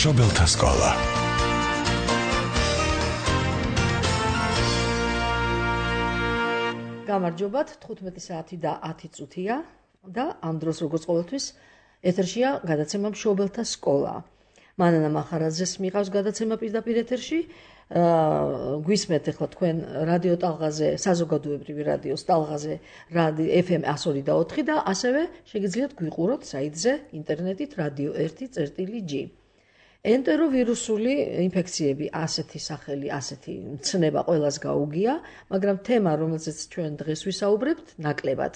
მშობელთა სკოლა. გამარჯობათ, 15 საათი და 10 წუთია და ამ დროს როგორც ყოველთვის ეთერშია გადაცემა მშობელთა სკოლა. მანანა მახარაძეს მიყავს გადაცემა პირდაპირ ეთერში. გვისმენთ ახლა თქვენ რადიო ტალღაზე, საზოგადოებრივი რადიოს ტალღაზე, FM 102.4 და ასევე შეგიძლიათ გვიყუროთ საიტზე ინტერნეტით radio 1.g. ენტეროვირუსული ინფექციები, ასეთი სახელი, ასეთი მცნება ყველას გაუგია, მაგრამ თემა, რომელზეც ჩვენ დღეს ვისაუბრებთ, ნაკლებად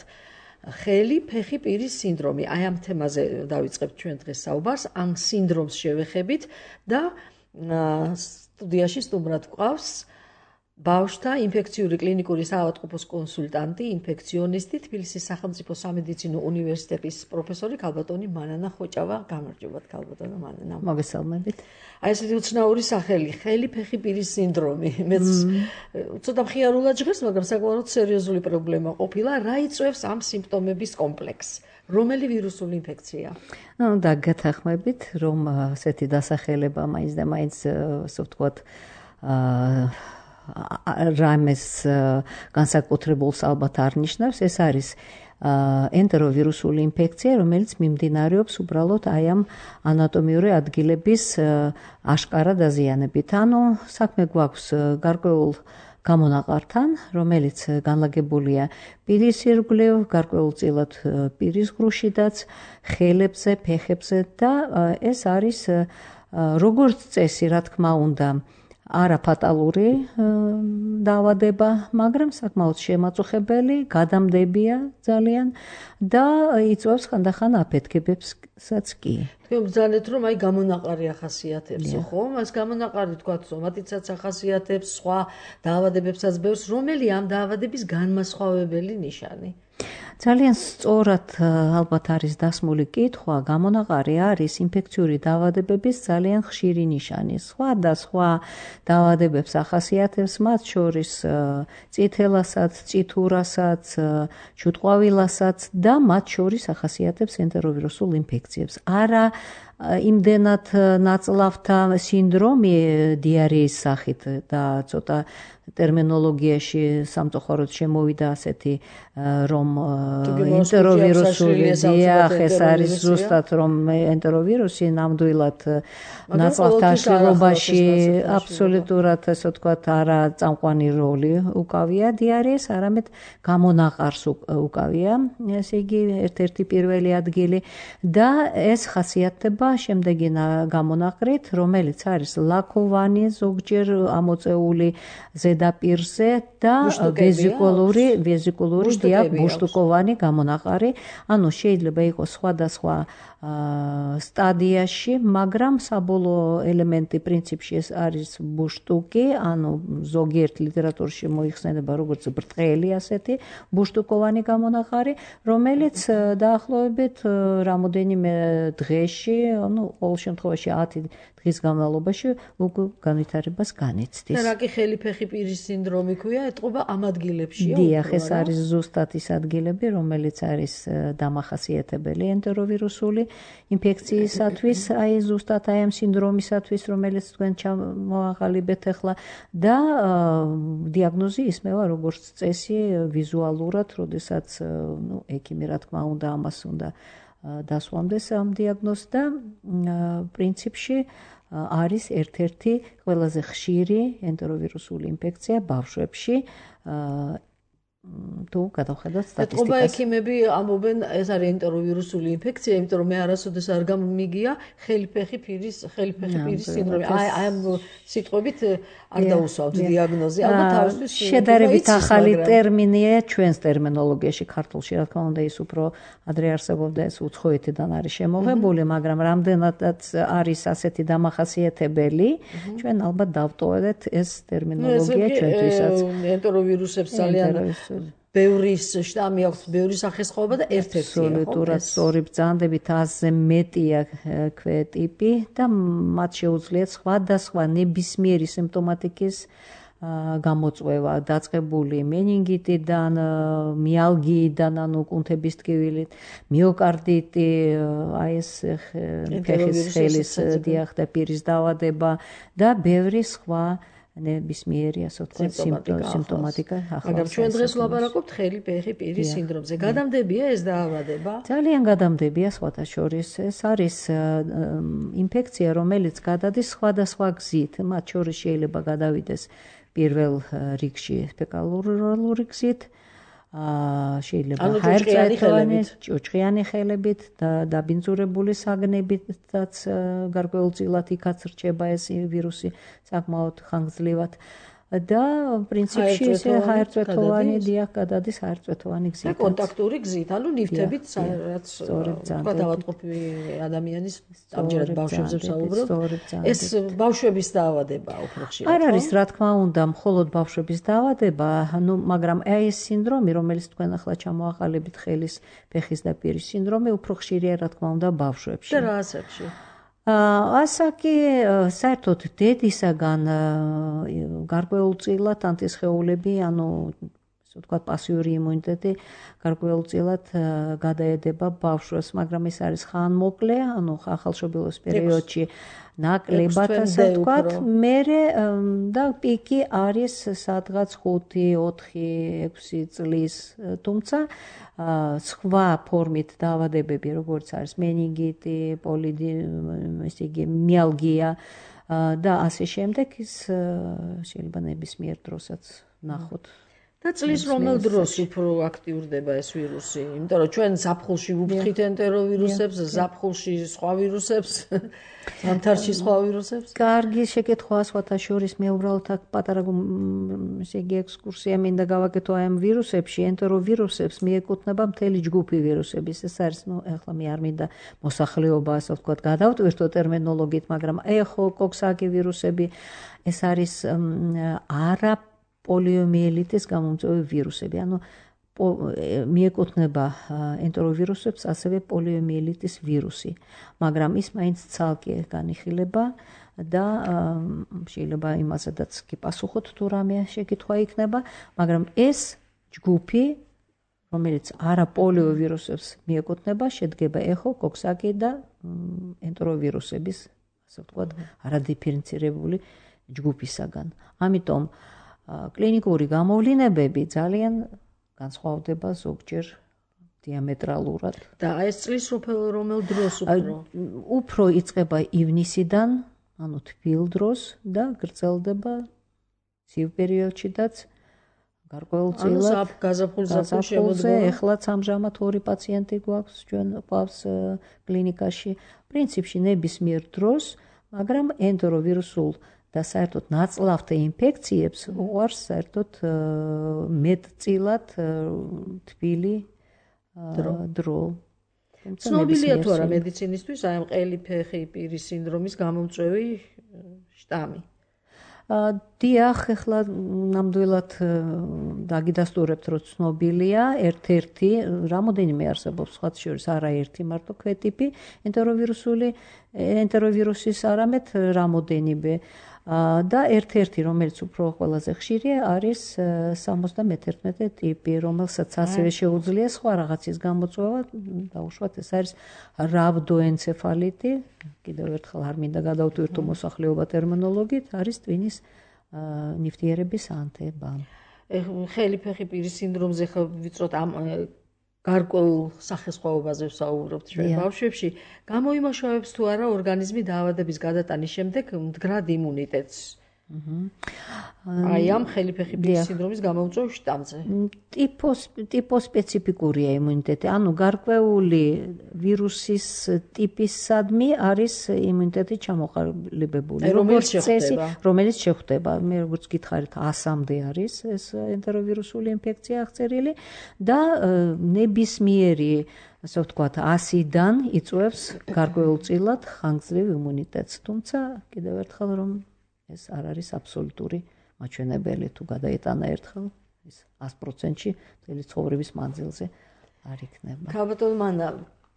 ხელი, ფეხი, პირის სინდრომი. აი ამ თემაზე დავიწყებთ ჩვენ დღეს საუბარს, ამ სინდრომს შევეხებით და სტუდიაში სტუმრად გვყავს ბავშვთა ინფექციური კლინიკური საავადმყოფოს კონსულტანტი, ინფექციონისტი, თბილისის სახელმწიფო სამედიცინო უნივერსიტეტის პროფესორი ქალბატონი მანანა ხოჭავა. გამარჯობათ ქალბატონო მანანა. მოგესალმებით. აი ესეთი უცნაური სახელი, ხელი, ფეხი, პირის სინდრომი. მეც ცოტა მხიარულად ჟღერს, მაგრამ საკმაოდ სერიოზული პრობლემა ყოფილა. რა იწვევს ამ სიმპტომების კომპლექსს? რომელი ვირუსული ინფექცია? და გათანხმებით, რომ ასეთი დასახელება მაინც და მაინც ასე ვთქვათ, რამეს განსაკუთრებულს ალბათ არ ნიშნავს, ეს არის ენტეროვირუსული ინფექცია, რომელიც მიმდინარეობს უბრალოდ აი ამ ანატომიური ადგილების აშკარა დაზიანებით. ანუ საქმე გვაქვს გარკვეულ გამონაყართან, რომელიც განლაგებულია პირის ირგვლივ, გარკვეულწილად პირის ღრუშიდაც, ხელებზე, ფეხებზე და ეს არის როგორც წესი, რა თქმა უნდა, არაფატალური დაავადება, მაგრამ საკმაოდ შემაწუხებელი, გადამდებია ძალიან და იწვევს ხანდახან აფეთქებებსაც კი. თქვენ ბრძანეთ, რომ აი გამონაყარი ახასიათებს, ხო? მას გამონაყარი თქვათ, სომატიცაც ახასიათებს, სხვა დაავადებებსაც ბევრს, რომელი ამ დაავადების განმასხვავებელი ნიშანი? ძალიან სწორად ალბათ არის დასმული კითხვა, გამონაყარი არის ინფექციური დაავადებების ძალიან ხშირი ნიშანი. სხვა და სხვა დაავადებებს ახასიათებს, მათ შორის წითელასაც, წითურასაც, ჩუტყვავილასაც და მათ შორის ახასიათებს ენტეროვირუსულ ინფექციებს. არა იმდენად ნაწლავთა სინდრომი დიარეის სახით და ცოტა ტერმინოლოგიაში სამწუხაროდ შემოვიდა ასეთი, რომ ენტეროვირუსული დიახ, ეს არის ზუსტად, რომ ენტეროვირუსი ნამდვილად ნაწლავთა აშლილობაში აბსოლუტურად, ასე ვთქვათ, არა წამყვანი როლი უკავია დიარეეს, არამედ გამონაყარს უკავია, ესე იგი, ერთ-ერთი პირველი ადგილი და ეს ხასიათდება შემდეგი გამონაყრით, რომელიც არის ლაქოვანი, ზოგჯერ ამოწეული ზედაპირზე და ვეზიკულური ბუშტუკოვანი გამონაყარი. ანუ შეიძლება იყოს სხვადასხვა სტადიაში, მაგრამ საბოლოო ელემენტი პრინციპში ეს არის ბუშტუკი, ანუ ზოგიერთ ლიტერატურაში მოიხსენება როგორც ბრტყელი ასეთი ბუშტუკოვანი გამონაყარი, რომელიც დაახლოებით რამოდენიმე დღეში, ანუ ყოველ შემთხვევაში 10 დღის განმავლობაში უკვე განვითარებას განიცდის. და რა კი ხელი, ფეხი, პირის სინდრომი ქვია, ეტყობა ამ ადგილებშია? დიახ, ეს არის ზუსტად ის ადგილები, რომელიც არის დამახასიათებელი ენტეროვირუსული ინფექციისათვის, აი ზუსტად აი ამ სინდრომისათვის, რომელიც თქვენ ჩამოაყალიბეთ ახლა და დიაგნოზი ისმევა როგორც წესი ვიზუალურად, როდესაც ექიმი რა თქმა უნდა ამას უნდა დასვამდეს ამ დიაგნოზს და პრინციპში არის ერთ-ერთი ყველაზე ხშირი ენტეროვირუსული ინფექცია ბავშვებში. თუ გადავხედოთ სტატისტიკას. ეტყობა ექიმები ამბობენ, ეს არის ენტეროვირუსული ინფექცია, იმიტომ რომ მე არასოდეს არ გამიგია ხელი, ფეხი, პირის სინდრომი. აი ამ სიტყვებით არ დაუსვამთ დიაგნოზი. ალბათ თავისთვის შედარებით ახალი ტერმინია ჩვენს ტერმინოლოგიაში, ქართულში, რა თქმა უნდა, ის უფრო ადრე არსებობდა, ეს უცხოეთიდან არის შემოღებული, მაგრამ რამდენადაც არის ასეთი დამახასიათებელი, ჩვენ ალბათ დავტოვებთ ეს ტერმინოლოგია ჩვენთვისაც. ენტეროვირუსებს ძალიან ბევრი შტამი აქვს, ბევრი სახესხვაობა და ერთ-ერთია. აბსოლუტურად სწორი ბრძანდებით 100-ზე მეტია ქვეტიპი და მათ შეუძლიათ სხვადასხვა ნებისმიერი სიმპტომატიკის გამოწვევა დაწყებული მენინგიტიდან, მიალგიიდან, ანუ კუნთების ტკივილით, მიოკარდიტი, აი ეს ფეხის ხელის დიახ და პირის დაავადება და ბევრი სხვა ნებისმიერი ასე ვთქვათ სიმპტომატიკა. მაგრამ ჩვენ დღეს ვლაპარაკობთ ხელი, ფეხი, პირის სინდრომზე. გადამდებია ეს დაავადება? ძალიან გადამდებია სხვათა შორის. ეს არის ინფექცია, რომელიც გადადის სხვადასხვა გზით. მათ შორის შეიძლება გადავიდეს პირველ რიგში ფეკალურ გზით, შეიძლება ჰაერწვეთოვანი, ჭუჭყიანი ხელებით და დაბინძურებული საგნებითაც გარკვეულწილად იქაც რჩება ეს ვირუსი საკმაოდ ხანგრძლივად. და პრინციპში ესე ჰაერწვეთოვანი დიახ გადადის ჰაერწვეთოვანი გზით. და კონტაქტური გზით, ანუ ნივთებით, რაც თქვა ავადმყოფი ადამიანის ამჯერად ბავშვებზე ვსაუბრობ. ეს ბავშვების დაავადებაა უფრო ხშირად. არ არის რა თქმა უნდა მხოლოდ ბავშვების დაავადება, მაგრამ ეს სინდრომი, რომელიც თქვენ ახლა ჩამოაყალიბეთ ხელის, ფეხის და პირის სინდრომი, უფრო ხშირია რა თქმა უნდა ბავშვებში. და რა ასაკში? ასაკი საერთოდ დედისაგან გარკვეულწილად ანტისხეულები, ანუ ასე ვთქვათ პასიური იმუნიტეტი გარკვეულწილად გადაედება ბავშვებს, მაგრამ ეს არის ხანმოკლე, ანუ ახალშობილობის პერიოდში ნაკლებად ასე ვთქვათ, მერე და პიკი არის სადღაც 5-4-6 წლის, თუმცა სხვა ფორმით დაავადებები, როგორც არის მენინგიტი, მიალგია და ასე შემდეგ, ის შეიძლება ნებისმიერ დროსაც ნახოთ. და წლის რომელ დროს უფრო აქტიურდება ეს ვირუსი? იმიტომ რომ ჩვენ ზაფხულში ვუფრთხით ენტეროვირუსებს, ზაფხულში სხვა ვირუსებს, ზამთარში სხვა ვირუსებს. კარგი შეკითხვაა სხვათა შორის. მე უბრალოდ აქ პატარა ესე იგი ექსკურსია მინდა გავაკეთო აი ამ ვირუსებში, ენტეროვირუსებს მიეკუთვნება მთელი ჯგუფი ვირუსების. ეს არის, ახლა მე არ მინდა მოსახლეობა, ასე ვთქვათ, გადავტვირთო ტერმინოლოგიით, მაგრამ ეხო, კოქსაკი ვირუსები, ეს არის არა პოლიომიელიტის გამომწვევი ვირუსები, ანუ მიეკუთვნება ენტეროვირუსებს ასევე პოლიომიელიტის ვირუსი, მაგრამ ის მაინც ცალკე განიხილება და შეიძლება იმასაც კი პასუხოთ თუ რამე შეკითხვა იქნება, მაგრამ ეს ჯგუფი, რომელიც არა პოლიოვირუსებს მიეკუთვნება, შედგება ეხო, კოქსაკი და ენტეროვირუსების, ასე ვთქვათ, არადიფერენცირებული ჯგუფისაგან. ამიტომ კლინიკური გამოვლინებები ძალიან განსხვავდება ზოგჯერ დიამეტრალურად. და ეს წლის რომელ დროს უფრო იწყება ივნისიდან, ანუ თბილ დროს და გრძელდება ცივ პერიოდშიდაც გარკვეულწილად გაზაფხულზე. ეხლაც ამჟამად 2 პაციენტი გვაქვს ჩვენ ყავს კლინიკაში. პრინციპში ნებისმიერ დროს, მაგრამ ენტეროვირუსულ და საერთოდ ნაწლავთა ინფექციებს უარს საერთოდ მეტწილად თბილი დრო. ცნობილია თუ არა მედიცინისთვის აი ამ ყელი, ფეხი, პირის სინდრომის გამომწვევი შტამი? დიახ, ახლა ნამდვილად დაგიდასტურებთ, რომ ცნობილია ერთ-ერთი, რამოდენიმე არსებობს სხვა შორის, არა ერთი მარტო ქვეტიპი ენტეროვირუსის, არამედ რამოდენიმე. და ერთ-ერთი, რომელიც უფრო ყველაზე ხშირია, არის 71 ტიპი, რომელსაც ასევე შეუძლია სხვა რაღაცის გამოწვევა, დაუშვათ ეს არის რhabdoencephaliti, კიდევ ერთხელ არ მინდა გადავტვირთო მოსახლეობა ტერმინოლოგიით, არის ტვინის ნივთიერების ანთება. ხელი, ფეხი, პირის სინდრომზე ხო ვიწროთ ამ გარკვეულ სახესხვაობაზე ვსაუბრობთ ჩვენ ბავშვებში, გამოიმუშავებს თუ არა ორგანიზმი დაავადების გადატანის შემდეგ მდგრად იმუნიტეტს? აი ამ ხელი, ფეხი, პირის სინდრომის გამომწვევ შტამზე. ტიპოსპეციფიკურია იმუნიტეტი, ანუ გარკვეული ვირუსის ტიპისადმი არის იმუნიტეტი ჩამოყალიბებული. რომელიც შეხვდება. მე როგორც გითხარით, 100-მდე არის ეს ენტეროვირუსული ინფექცია აღწერილი და ნებისმიერი, ასე ვთქვათ, 100-დან იწვევს გარკვეულწილად ხანგრძლივ იმუნიტეტს. თუმცა კიდევ ერთხელ რომ ეს არ არის აბსოლუტური მაჩვენებელი, თუ გადაეტანა ერთხელ ის 100%-ში მთელი ცხოვრების მანძილზე არ იქნება. ქალბატონ მანა,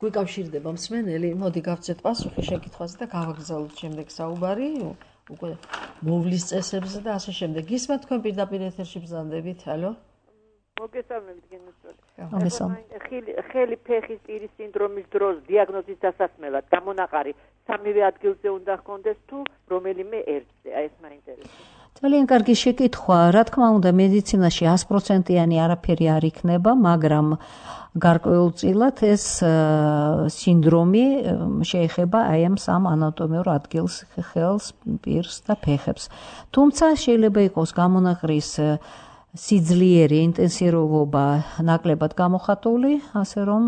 გვიკავშირდება მსმენელი, მოდი გავცეთ პასუხი შეკითხვაზე და გავაგზავნოთ შემდეგ საუბარი. უკვე მოვლის წესებზე და ასე შემდეგ. გისმენთ თქვენ პირდაპირ ეთერში ბრძანდებით, ალო? მოგესალმებით გენოციდი. ხელი ფეხის პირის სინდრომის დროს დიაგნოზის დასასმელად გამონაყარი სამივე ადგილზე უნდა ჰქონდეს თუ რომელიმე ერთზე? აი ეს მაინტერესებს. ძალიან კარგი შეკითხვა. რა თქმა უნდა, მედიცინაში 100%-იანი არაფერი არ იქნება, მაგრამ გარკვეულწილად ეს სინდრომი შეეხება აი ამ სამ ანატომიურ ადგილს, ხელს, პირს და ფეხებს. თუმცა შეიძლება იყოს გამონაყრის სიძლიერე, ინტენსივობა ნაკლებად გამოხატული, ასე რომ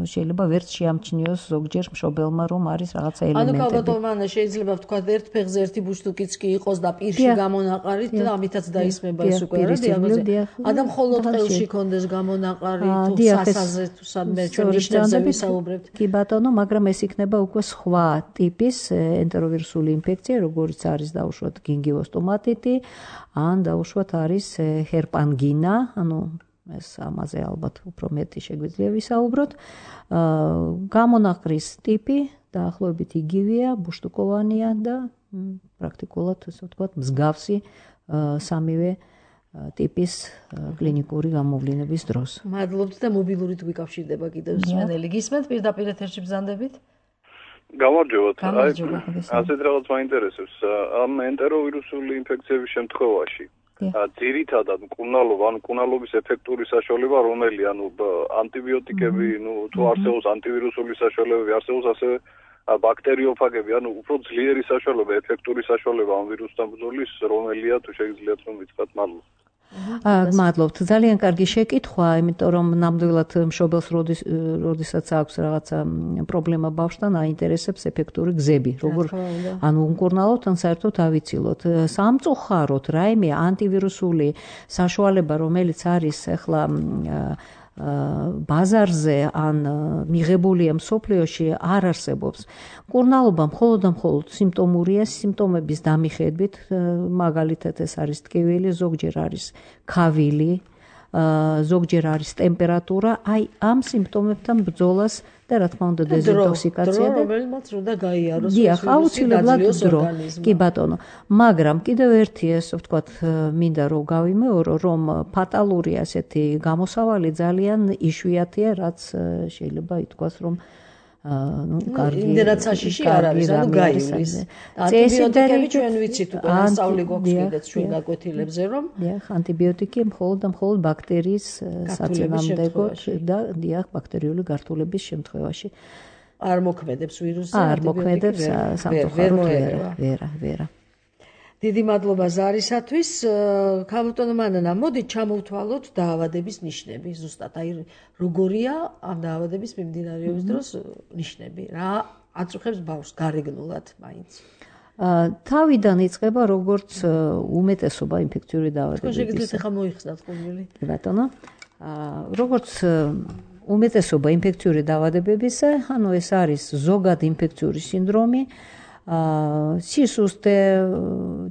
შეიძლება ვერც შეამჩნიოს ზოგჯერ მშობელმა, რომ არის რაღაცა ელემენტები. ანუ კალბატონმანა შეიძლება ვთქვა ერთ ფეხზე ერთი ბუშტუკიც კი იყოს და პირში გამონაყარით და ამითაც დაისმება ეს უკვე რა დიაგნოზი. адам მხოლოდ ყელში კონდეს გამონაყარი თუ სასაზე თუ სადმე ჩვენ ნიშნებზე ვისაუბრებთ. კი ბატონო, მაგრამ ეს იქნება უკვე სხვა ტიპის ენტეროვირუსული ინფექცია, როგორიც არის დაუშვათ გინგივოსტომატიტი, ან დაუშვათ არის ჰერპანგინა, ანუ ეს ამაზე ალბათ უფრო მეტი შეგვიძლია ვისაუბროთ. გამონაყრის ტიპი დაახლოებით იგივეა, ბუშტუკოვანია და პრაქტიკულად ასე ვთქვათ, მსგავსი სამივე ტიპის კლინიკური გამოვლინების დროს. მადლობთ და მობილურით ვიკავშირდება კიდევ მსმენელი. გისმენთ პირდაპირ ეთერში ბრძანდებით? გამარჯობათ. ასეთ რაღაც მაინტერესებს. ამ ენტეროვირუსული ინფექციების შემთხვევაში ძირითადად მკურნალობის ეფექტური საშუალება რომელი, ანუ ანტიბიოტიკები, თუ არსებობს ანტივირუსული საშუალებები, არსებობს ასევე ბაქტერიოფაგები, ანუ უფრო ძლიერი საშუალება, ეფექტური საშუალება ამ ვირუსთან ბრძოლის რომელია, თუ შეგიძლიათ რომ ვიწყოთ? მადლობა. მადლობთ. ძალიან კარგი შეკითხვა, იმიტომ რომ ნამდვილად მშობელს როდესაც აქვს რაღაცა პრობლემა ბავშვთან, აინტერესებს ეფექტური გზები, როგორ ანუ უმკურნალოთ, ან საერთოდ ავიცილოთ. სამწუხაროდ, რაიმე ანტივირუსული საშუალება, რომელიც არის ახლა ბაზარზე ან მიღებულია მსოფლიოში არ არსებობს. მკურნალობა მხოლოდ სიმპტომურია, სიმპტომების დამიხედვით, მაგალითად ეს არის ტკივილი, ზოგჯერ არის ქავილი, ზოგჯერ არის ტემპერატურა, აი ამ სიმპტომებთან ბრძოლას და რა თქმა უნდა დეზინტოქსიკაცია და რომელმაც უნდა გაიაროს აუცილებლად დრო. კი ბატონო, მაგრამ კიდევ ერთი ესე ვთქვათ, მინდა რომ გავიმეორო, რომ ფატალური ასეთი გამოსავალი ძალიან იშვიათია, რაც შეიძლება ითქვას, რომ კარგი იმდენად საშიში არ არის, ანუ გაივლის. ანტიბიოტიკები ჩვენ ვიცით უკვე, ასწავლი გვაქვს კიდეც ჩვენ გაკვეთილებზე, რომ ანტიბიოტიკი მხოლოდ ბაქტერიის საწინააღმდეგოდ და დიახ, ბაქტერიული გართულების შემთხვევაში არ მოქმედებს ვირუსზე, არ მოქმედებს სამწუხაროდ ვერა. დიდი მადლობა ზარისათვის. ქალბატონო მანანა, მოდით ჩამოვთვალოთ დაავადების ნიშნები. ზუსტად აი როგორია ამ დაავადების მიმდინარეობის დროს ნიშნები? რა აწუხებს ბავშვს გარეგნულად მაინც? თავიდან იწყება როგორც უმეტესობა ინფექციური დაავადებების. თქვენ შეგიძლიათ ახლა მოიხსნათ ყურმილი? ბატონო, როგორც უმეტესობა ინფექციური დაავადებებისა, ანუ ეს არის ზოგად ინფექციური სინდრომი, სისუსტე,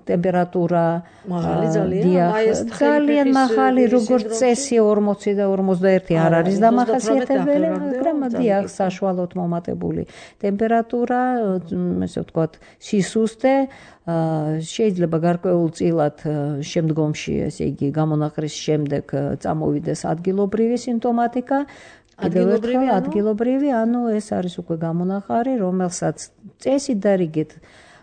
ტემპერატურა, ძალიან მაღალი, როგორც წესი 40 და 41 არ არის დამახასიათებელი, მაგრამ დიახ, საშუალოდ მომატებული ტემპერატურა, ესე ვთქვათ, სისუსტე, შეიძლება გარკვეულწილად შემდგომში, ესე იგი, გამონაყრის შემდეგ წამოვიდეს ადგილობრივი სიმპტომატიკა. ადგილობრივი, ანუ ეს არის უკვე გამონაყარი, რომელსაც წესით და რიგით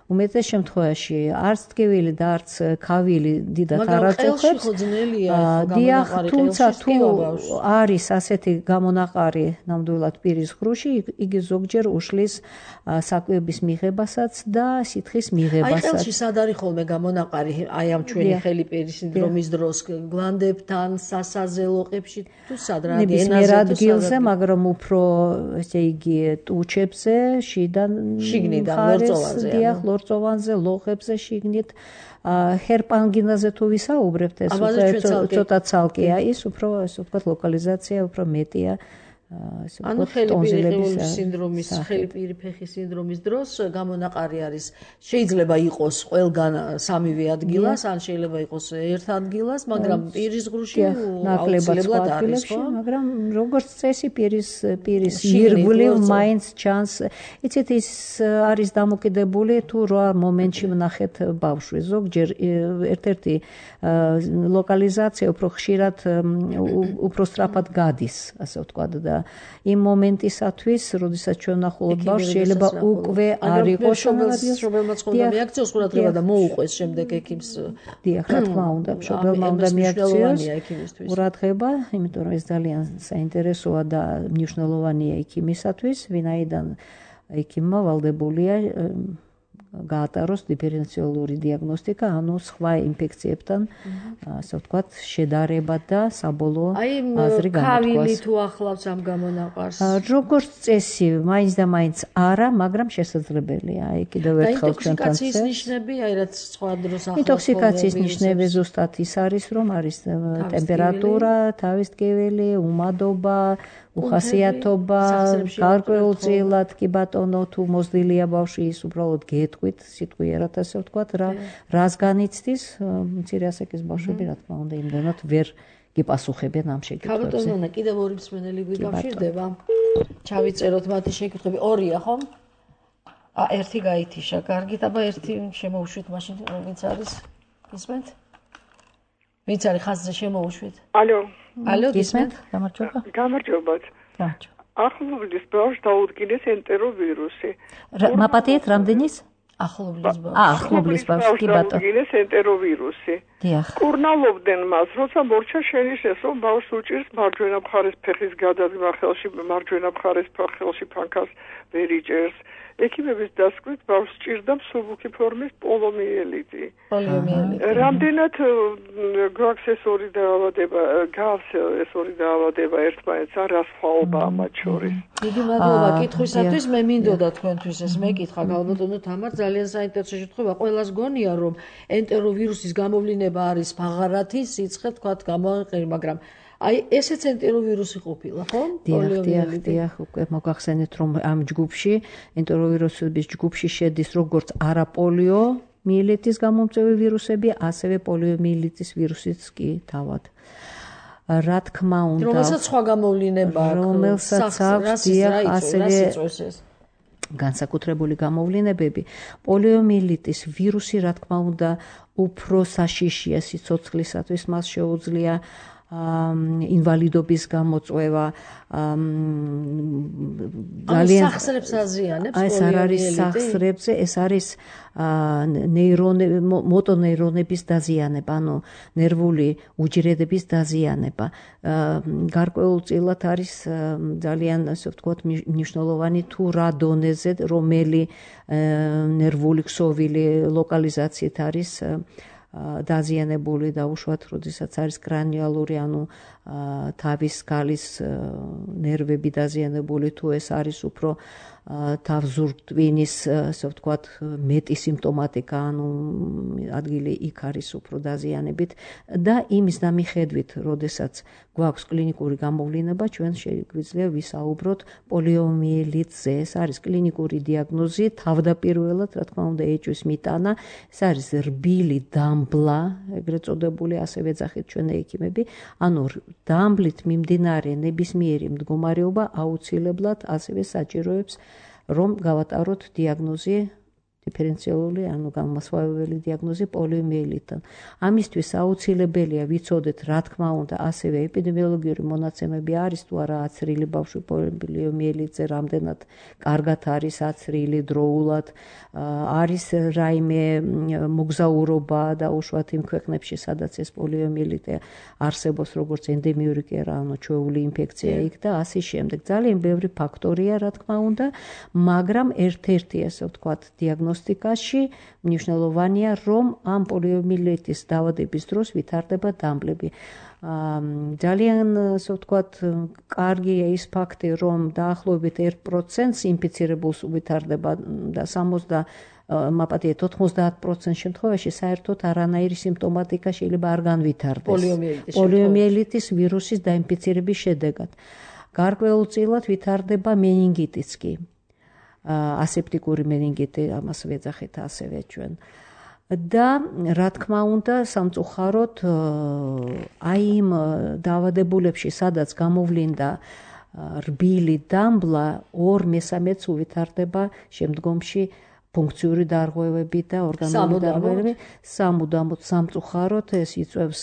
უმეტეს შემთხვევაში არც ტკივილი და არც ქავილი დიდად არ აწუხებს. დიახ, თუმცა თუ არის ასეთი გამონაყარი ნამდვილად პირის ხრუში, იგი ზოგჯერ უშლის საკვების მიღებასაც და სითხის მიღებასაც. აი ხელში სად არის ხოლმე გამონაყარი? აი ამ ჩვენი ხელი პირის სინდრომის დროს გლანდებთან, სასაზე, ლოყებში თუ სად რა ნებისმიერ ადგილზე, მაგრამ უფრო ესე იგი ტუჩებზე, შიგნიდან ლორწოვანზე. დიახ, ლორწოვანზე, ლოყებზე შიგნით. ჰერპანგინაზე თუ ვისაუბრებთ, ეს უკვე ცოტა ცალკეა, ის უფრო, ასე ვთქვათ, ლოკალიზაცია უფრო მეტია ანუ ხელიპირიღებული სინდრომის, ხელიპირი ფეხის სინდრომის დროს გამონაყარი არის შეიძლება იყოს ყველგან სამივე ადგილას, ან შეიძლება იყოს ერთ ადგილას, მაგრამ პირის ღრუში აუცილებლად არის, ხო? მაგრამ როგორც წესი პირის ირგვლივ მაინც ჩანს, იცით ის არის დამოკიდებული თუ რა მომენტში ვნახეთ ბავშვი. ზოგჯერ ერთ-ერთი ლოკალიზაცია უფრო ხშირად უფრო სწრაფად გადის, ასე ვთქვათ და იმ მომენტისათვის, როდესაც ჩვენ ვნახულობთ ბავშვს, შეიძლება უკვე არ იყოს მშობელმაც ხონდა მიაქციოს ყურადღება და მოუყვეს შემდეგ ექიმს. დიახ, რა თქმა უნდა, მშობელმა უნდა მიაქციოს ყურადღება, იმიტომ რომ ეს ძალიან საინტერესოა და მნიშვნელოვანია ექიმისათვის, ვინაიდან ექიმმა ვალდებულია გაატაროს დიფერენციალური დიაგნოსტიკა, ანუ სხვა ინფექციებთან, ასე ვთქვათ, შედარება და საბოლოო აზრი გამოთქვას. ქავილი თუ ახლავს ამ გამონაყარს? როგორც წესი, მაინც და მაინც არა, მაგრამ შესაძლებელია. აი კიდევ ერთხელ ჩვენთან ინტოქსიკაციის ნიშნები, აი რაც სხვა დროს ახლავს. ინტოქსიკაციის ნიშნები ზუსტად ის არის, რომ არის ტემპერატურა, თავის ტკივილი, უმადობა, უხასიათობა, გარკვეულწილად კი ბატონო თუ მოზრდილია ბავშვი ის უბრალოდ გეტყვით, სიტყვიერად ასე ვთქვათ, რას განიცდის, მცირე ასაკის ბავშვები რა თქმა უნდა იმდენად ვერ გიპასუხებენ ამ შეკითხვებზე. ქალბატონო, კიდევ ორი მსმენელი გვიკავშირდება. ჩავიწეროთ მათი შეკითხვები. ორია, ხო? ერთი გაითიშა, კარგით, აბა ერთი შემოუშვით მაშინ, ვინც არის? გისმენთ? ვინც არის ხაზზე შემოუშვით? ალო, გისმენთ? გამარჯობა. გამარჯობათ. ახლობლის ბავშვს დაუდგინეს ენტეროვირუსი. მაპატიეთ რამდენის? ახლობლის ბავშვს. ახლობლის ბავშვს კი ბატონო. დაუდგინეს ენტეროვირუსი. დიახ. კურნალობდნენ მას, როცა მორჩა შენიშნეს, რომ ბავშვს უჭირს მარჯვენა მხარეს ფეხის გადადგმა ხელში, მარჯვენა მხარეს ხელში ფანქას ვერ იჭერს. ექიმების დასკვნით ბავშვს ჭირდა მსუბუქი ფორმის პოლიომიელიტი. რამდენად გვაქვს ეს ორი დაავადება, გავს ეს ორი დაავადება ერთმანეთს, რა სხვაობაა მათ შორის? დიდი მადლობა კითხვისათვის, მე მინდოდა თქვენთვის ეს მეკითხა, ქალბატონო თამარ, ძალიან საინტერესო შეთხოვა. ყველას გონია, რომ ენტეროვირუსის გამოვლინება არის ფაღარათი, სიცხე თქვათ გამოიყენა, მაგრამ აი ესეც ენტეროვირუსი ყოფილა, ხო? დიახ, უკვე მოგახსენეთ, რომ ამ ჯგუფში, ენტეროვირუსების ჯგუფში შედის როგორც არაპოლიო მიელიტის გამომწვევი ვირუსები, ასევე პოლიომიელიტის ვირუსიც კი თავად. რა თქმა უნდა, რომელსაც სხვა გამოვლინება აქვს, რომელსაც აქვს ასევე განსაკუთრებული გამოვლინებები. პოლიომიელიტის ვირუსი, რა თქმა უნდა, უფრო საშიშია სიცოცხლისათვის, მას შეუძლია ინვალიდობის გამოწვევა, ძალიან სახსრებს აზიანებს ეს არ არის სახსრებზე, ეს არის მოტონეირონების დაზიანება, ანუ ნერვული უჯრედების დაზიანება. გარკვეულწილად არის ძალიან, ასე ვთქვათ, მნიშვნელოვანი თუ რა დონეზე, რომელი ნერვული ქსოვილი ლოკალიზაციით არის დაზიანებული და უშუალოდ როდესაც არის კრანიალური, ანუ თავის გალის ნერვები დაზიანებული, თუ ეს არის უფრო თავზურტვინის, ასე ვთქვათ, მეტი სიმპტომატიკა, ანუ ადგილი იქ არის უფრო დაზიანებით და იმის დამიხედვით, როდესაც გვაქვს კლინიკური გამოვლინება, ჩვენ შეგვიძლია ვისაუბროთ პოლიომიელიტზე. ეს არის კლინიკური დიაგნოზი, თავდაპირველად, რა თქმა უნდა, ეჭვის მიტანა, ეს არის რბილი დამბლა, ეგრეთ წოდებული, ასევე ეძახით ჩვენ ექიმები, ანუ დამბლით მიმდინარე ნებისმიერი მდგომარეობა აუცილებლად ასევე საჭიროებს, რომ გავატაროთ დიაგნოზი დიფერენციალური, ანუ გამოსავალი დიაგნოზი პოლიომიელიტთან. ამისთვის აუცილებელია ვიცოდეთ, რა თქმა უნდა, ასევე ეპიდემიოლოგიური მონაცემები არის თუ არა აცრილი ბავშვი პოლიომიელიტზე, რამდენად კარგად არის აცრილი დროულად, არის რაიმე მოგზაურობა და უშუალოდ იმ ქვეყნებში, სადაც ეს პოლიომიელიტი არსებობს, როგორც ენდემიური კი არა, ანუ ჩვეული ინფექცია იქ და ასე შემდეგ. ძალიან ბევრი ფაქტორია, რა თქმა უნდა, მაგრამ ერთ-ერთი, ასე ვთქვათ, დიაგნოსტიკაში მნიშვნელოვანია, რომ ამ პოლიომიელიტის დაავადების დროს ვითარდება დამბლები. ძალიან, ასე ვთქვათ, კარგია ის ფაქტი, რომ დაახლოებით 1%-ს ინფიცირებულს ვითარდება და 90% შემთხვევაში საერთოდ არანაირი სიმპტომატიკა შეიძლება არ განვითარდეს პოლიომიელიტის ვირუსის დაინფიცირების შედეგად. გარკვეულწილად ვითარდება meningitიც კი. ასეპტიკური meningiti, ამას ვეძახით ასევე ჩვენ. და რა თქმა უნდა, სამწუხაროდ აი იმ დაავადებულებში, სადაც გამოვლინდა რბილი დამბლა, 2/3-ს უვითარდება შემდგომში ფუნქციური დარღვევები და ორგანული დარღვევები. სამუდამოდ სამწუხაროდ ეს იწვევს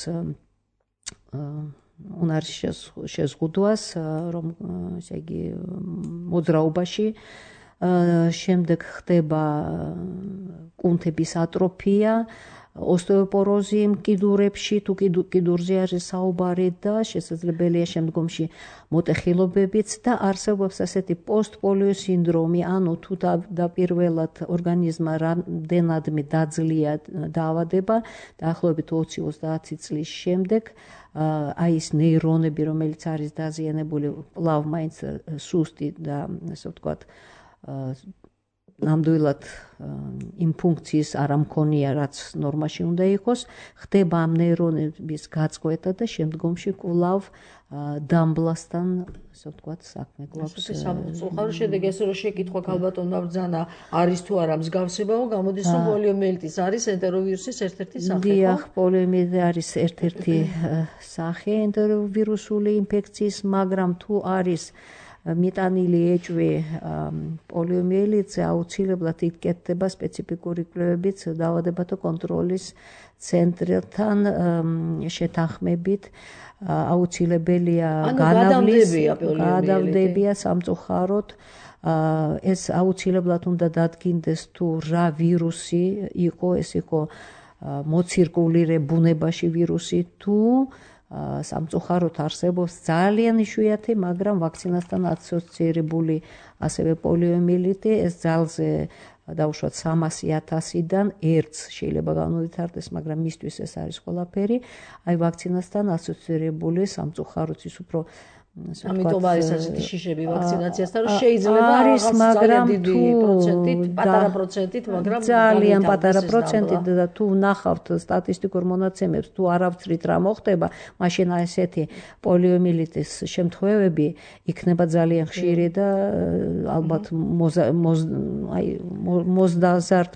უნარის შეზღუდვას, რომ ესე იგი მოძრაობაში შემდეგ ხდება კუნთების ატროფია, ოსტეოპოროზი მკიდურებში, თუ კიდურზე არის საუბარი და შესაძლებელია შემდგომში მოტეხილობებიც და არსებობს ასეთი პოსტპოლიო სინდრომი, ანუ თუ დაპირველად ორგანიზმმა რამდენადმე დაძლია დაავადება, დაახლოებით 20-30 წლის შემდეგ აი ეს ნეირონები, რომელიც არის დაზიანებული, კვლავ მაინც სუსტი და ასე ვთქვათ ნამდვილად იმ ფუნქციის არ ამქონია, რაც ნორმაში უნდა იყოს, ხდება ამ ნეირონების გაწყვეტა და შემდგომში კვლავ დამბლასთან, ასე ვთქვათ, საქმე გვაქვს. სამწუხარო შედეგი ეს რომ შეკითხვა ქალბატონმა ბრძანა არის თუ არა მსგავსებაო, გამოდის რომ პოლიომიელიტის არის ენტეროვირუსის ერთ-ერთი სახე. დიახ, პოლიომიელიტი არის ერთ-ერთი სახე ენტეროვირუსული ინფექციის, მაგრამ თუ არის მიტანილი ეჭვი პოლიომიელიტზე, აუცილებლად იკეთდება სპეციფიკური კვლევებიც დაავადებათა კონტროლის ცენტრთან შეთანხმებით. აუცილებელია გადავდებია სამწუხაროდ. ეს აუცილებლად უნდა დადგინდეს თუ რა ვირუსი იყო, ეს იყო მოცირკულირე ბუნებაში ვირუსი თუ სამწუხაროდ არსებობს ძალიან იშვიათი, მაგრამ ვაქცინასთან ასოცირებული ასევე პოლიომიელიტი, ეს ძალზე დავუშვათ 300,000-დან 1-ს შეიძლება განუვითარდეს, მაგრამ მისთვის ეს არის ყველაფერი. აი ვაქცინასთან ასოცირებული სამწუხაროდ ის უფრო ამიტომ არის ასეთი შიშები ვაქცინაციასთან, რომ შეიძლება არის, მაგრამ დიდი პროცენტით, პატარა პროცენტით, მაგრამ ძალიან პატარა პროცენტით და თუ ნახავთ სტატისტიკურ მონაცემებს, თუ არავითრით რა მოხდება, მაშინ ესეთი პოლიომიელიტის შემთხვევები იქნება ძალიან ხშირი და ალბათ მოზდაზართ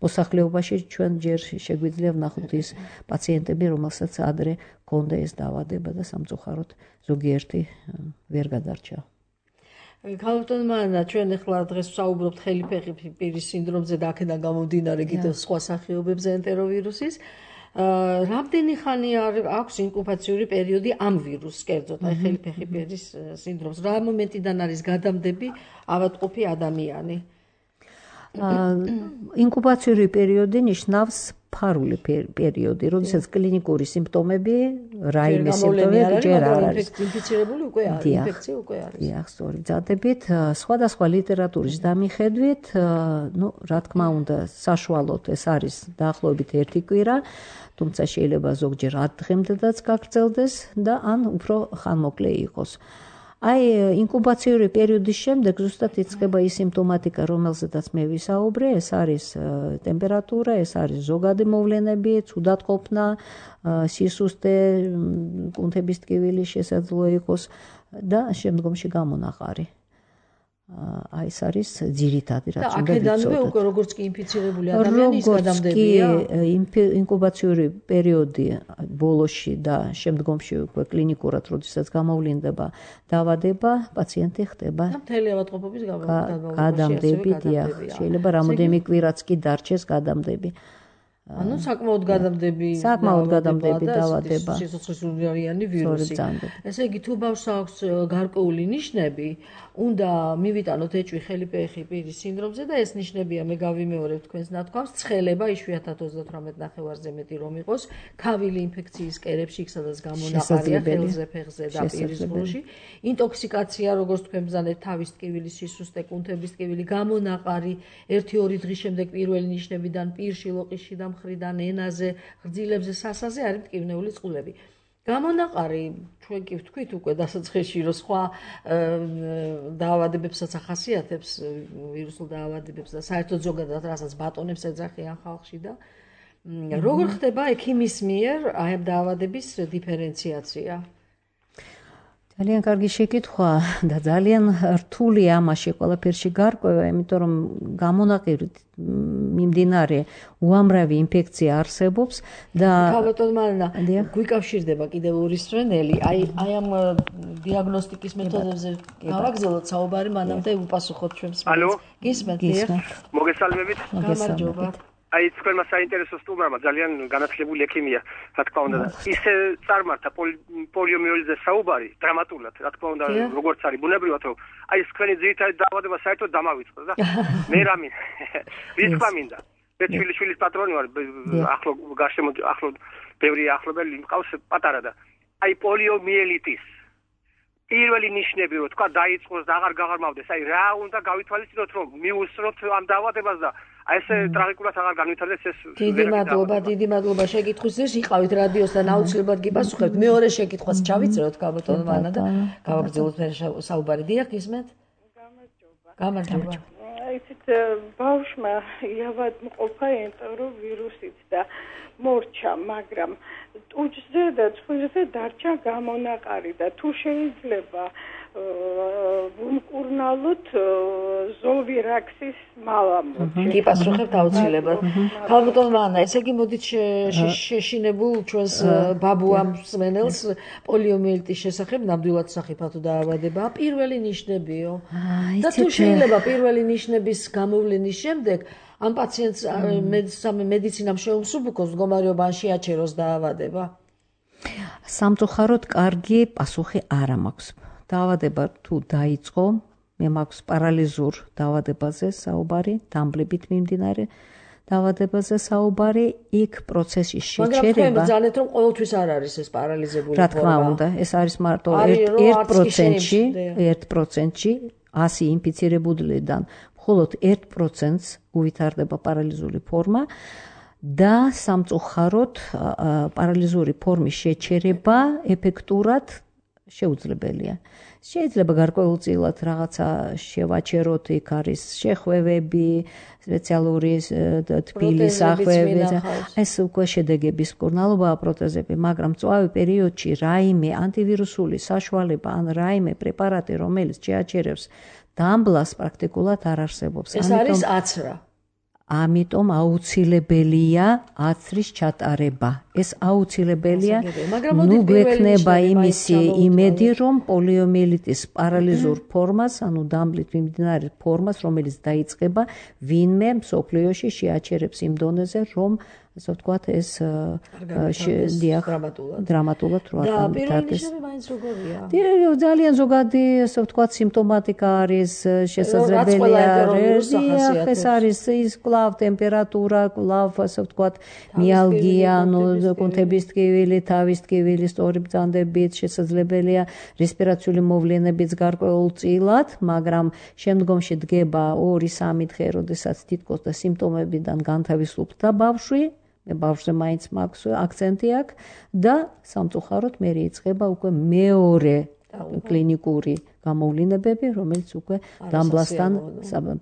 მოსახლეობაში ჩვენ ჯერ შეგვიძლია ვნახოთ ის პაციენტები, რომელსაც ადრე ჰქონდა ეს დაავადება და სამწუხაროდ ზოგიერთი ვერ გადარჩა. ქალბატონმა ჩვენ ახლა დღეს ვსაუბრობთ ხელიფეხი პირის სინდრომზე და აქედან გამომდინარე კიდევ სხვა სახეობებზე ენტეროვირუსის. რამდენი ხანი აქვს ინკუბაციური პერიოდი ამ ვირუსს, კერძოდ აი ხელიფეხი პირის სინდრომს? რა მომენტიდან არის გადამდები ავადმყოფი ადამიანი? ინკუბაციური პერიოდი ნიშნავს ფარული პერიოდი, როდესაც კლინიკური სიმპტომები, რაიმე სიმპტომები ჯერ არ არის. ინფიცირებული უკვე არის, ინფექცია უკვე არის. დიახ, სწორი ძადებით, სხვადასხვა ლიტერატურის დამიხედვით, რა თქმა უნდა, საშუალოდ ეს არის დაახლოებით 1 კვირა, თუმცა შეიძლება ზოგჯერ 10 დღემდეც გაგრძელდეს და ან უფრო ხანმოკლე იყოს. აი ინკუბაციური პერიოდის შემდეგ ზუსტად იწყება ის სიმპტომატიკა, რომელზედაც მე ვისაუბრე, ეს არის ტემპერატურა, ეს არის ზოგადი მოვლენები, ცუდათყოფნა, სისუსტე, კუნთების ტკივილი შესაძლოა იყოს და შემდგომში გამონაყარი. აი ეს არის ძირითადი რაც უნდა ვიცოდეთ. და აქედანვე უკვე როგორც კი ინფიცირებული ადამიანი ის გადამდებია. ინკუბაციური პერიოდი ბოლოში და შემდგომში უკვე კლინიკურად როდესაც გამოვლინდება დაავადება, პაციენტი ხდება მთელი ავადმყოფობის გადამდები, დიახ, შეიძლება რამოდენიმე კვირაც კი დარჩეს გადამდები. ანუ საკმაოდ გადამდები დაავადება. სიცოცხლისუნარიანი ვირუსი. ესე იგი თუ ბავშვს აქვს გარკვეული ნიშნები, უნდა მივიტანოთ ეჭვი ხელიფეხი პირის სინდრომზე და ეს ნიშნებია, მე გავიმეორებ თქვენს ნათქვამს, ცხელება, იშვიათად 38 ნახევარზე მეტი რომ იყოს, ქავილი ინფექციის კერებში, იქ სადაც გამონაყარია ხელზე, ფეხზე და პირის ღრუში, ინტოქსიკაცია, როგორც თქვენ ბრძანეთ, თავის ტკივილი, სისუსტე, კუნთების ტკივილი, გამონაყარი 1-2 დღის შემდეგ პირველი ნიშნებიდან პირში, ლოყისში და მხრიდან, ენაზე, ღრძილებზე, სასაზე არის მტკივნეული წყლები. გამონაყარი ჩვენ კი ვთქვით უკვე დასაწყისში, რომ სხვა დაავადებებსაც ახასიათებს, ვირუსულ დაავადებებს და საერთოდ ზოგადად რასაც ბატონებს ეძახიან ხალხში და როგორ ხდება ექიმის მიერ აი ამ დაავადების დიფერენციაცია? ძალიან კარგი შეკითხვა და ძალიან რთული ამაში ყველაფერში გარკვევა, იმიტომ რომ გამონაყირით მიმდინარე უამრავი ინფექცია არსებობს და ბატონო მარინა, გვიკავშირდება კიდევ ორი სვენელი, აი ამ დიაგნოსტიკის მეთოდებზე გავაგზავნოთ საუბარი, მანამდე უპასუხოთ ჩვენს ალო, გისმენთ? მოგესალმებით. გამარჯობა. აი თქვენმა საინტერესო სტუმარმა ძალიან განათლებული ექიმია, რა თქმა უნდა. ისე წარმართა პოლიომიელიტზე საუბარი დრამატულად, რა თქმა უნდა, როგორც არის ბუნებრივად, რომ აი თქვენი ძირითადი დაავადება საერთოდ დამავიწყდა და მე რამე ვიწყვა მინდა. შვილის პატრონი ვარ, ახლო გარშემო ახლო ბევრი ახლობელი მყავს პატარა და აი პოლიომიელიტის პირველი ნიშნები რო თქვა დაიწყოს და აღარ გაღარმავდეს, აი რა უნდა გავითვალისწინოთ, რომ მიუსწროთ ამ დაავადებას და აი ეს ტრაგიკულად აღარ განვითარდეს ეს. დიდი მადლობა შეკითხვისთვის, იყავით რადიოსთან, აუცილებლად გიპასუხებთ. მეორე შეკითხვას ჩავიწეროთ ბატონო მარინა და გავაგრძელოთ საუბარი. დიახ, გისმენთ? გამარჯობა. ისეთ ბავშვმა იავადმყოფა ენტეროვირუსით და მორჩა, მაგრამ ტუჯზე და ცხვირზე დარჩა გამონაყარი და თუ შეიძლება ვუმკურნალოთ ზოვირაქსის მალამოჩი. გიპასუხებთ აუცილებლად. ბატონო მარინა, ესე იგი მოდით შეშინებულ ჩვენს ბაბუამ მსმენელს პოლიომიელიტის შესახებ ნამდვილად სახიფათო დაავადებაა. პირველი ნიშნებიო. და თუ შეიძლება პირველი ნიშნების გამოვლენის შემდეგ ამ პაციენტს მედიცინამ შეუმსუბუქოს მდგომარეობა ან შეაჩეროს დაავადება? სამწუხაროდ კარგი პასუხი არ მაქვს. დაავადება თუ დაიწყო, მე მაქვს პარალიზურ დაავადებაზე საუბარი, დამბლებით მიმდინარე დაავადებაზე საუბარი, იქ პროცესის შეჩერება. მაგრამ თქვენ ბრძანეთ, რომ ყოველთვის არ არის ეს პარალიზებული ფორმა. რა თქმა უნდა, ეს არის მარტო 1%-ში 100 ინფიცირებულიდან მხოლოდ 1%-ს უვითარდება პარალიზული ფორმა და სამწუხაროდ პარალიზური ფორმის შეჩერება ეფექტურად შეუძლებელია. შეიძლება გარკვეულწილად რაღაცა შევაჩეროთ, იქ არის შეხვევები, სპეციალური თბილის ახვევები, ეს უკვე შედეგების მკურნალობაა პროტეზები, მაგრამ მწვავე პერიოდში რაიმე ანტივირუსული საშუალება ან რაიმე პრეპარატი, რომელიც შეაჩერებს დამბლას, პრაქტიკულად არ არსებობს. ეს არის აცრა. ამიტომ აუცილებელია აცრის ჩატარება. ეს აუცილებელია. ნუ გვექნება იმისი იმედი, რომ პოლიომიელიტის პარალიზურ ფორმას, ანუ დამბლით მიმდინარე ფორმას, რომელიც დაიწყება, ვინმე მსოფლიოში შეაჩერებს იმ დონეზე, რომ ასე ვთქვათ, ეს დრამატულად რო არ და პირველი ნიშნები მაინც როგორია? ძალიან ზოგადი, ასე ვთქვათ, სიმპტომატიკა არის შესაძლებელია. ეს არის ის კლავ ტემპერატურა, კლავ, ასე ვთქვათ, მიალგია, ანუ კუნთების ტკივილი, თავის ტკივილი, სწორი ბრძანდებით, შესაძლებელია რესპირაციული მოვლენებიც გარკვეულწილად, მაგრამ შემდგომში დგება 2-3 დღე, როდესაც თითქოს და სიმპტომებიდან განთავისუფლდა ბავშვი. ბავშვზე მაინც მაქვს აქცენტი აქვს და სამწუხაროდ მე იწყება უკვე მეორე კლინიკური გამოვლენებები, რომელიც უკვე დამბლასთან